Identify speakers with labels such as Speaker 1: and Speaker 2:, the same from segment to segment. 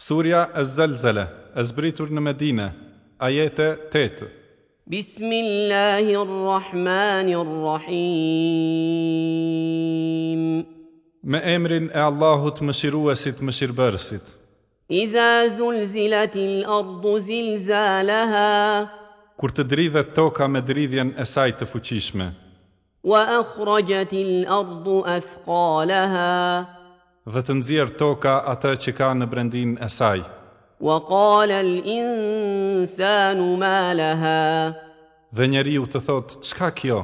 Speaker 1: Surja Ez-Zelzele, e zbritur në Medine, Ajete, tetë.
Speaker 2: Bismillahi Rrahmani Rrahim.
Speaker 1: Me emrin e Allahut Mëshiruesit Mëshirëbërësit.
Speaker 2: Idha zulzilatil ardu zilzalaha.
Speaker 1: Kur të dridhet toka me dridhjen e saj të fuqishme.
Speaker 2: Wa akhrajatil ardu athqalaha.
Speaker 1: Dhe të nxjerrë toka atë që ka në brendinë e saj.
Speaker 2: Wa qala al insanu ma laha.
Speaker 1: Dhe njeriu të thotë, Ç'ka kjo?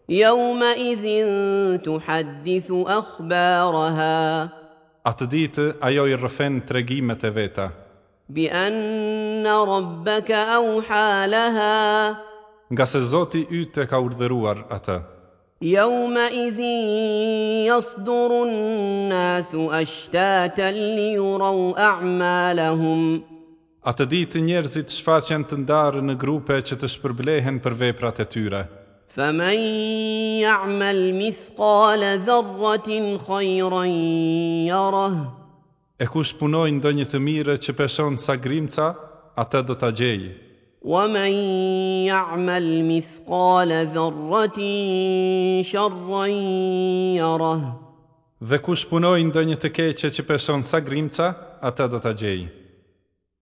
Speaker 2: Yawma idhin tuhaddithu akhbaraha.
Speaker 1: Atë ditë ajo i rrëfen tregimet e veta.
Speaker 2: Bi anna rabbaka awha laha.
Speaker 1: Ngase Zoti yt e ka urdhëruar atë.
Speaker 2: Yawma idhin yasduru an-nasu ashtatan liyuraw a'malahum.
Speaker 1: Atë ditë njerëzit shfaqen të ndarë në grupe që të shpërblehen për veprat e tyre.
Speaker 2: Faman ya'mal mithqala dharratin khayran yarah.
Speaker 1: E kush punoi ndonjë të mirë që peshon sa grimca, atë do ta gjejë.
Speaker 2: Wa man ya'mal mithqala dharratin sharran yarah.
Speaker 1: Dhe kush punoi ndonjë të keqe që peshon sa grimca, atë do ta gjejë.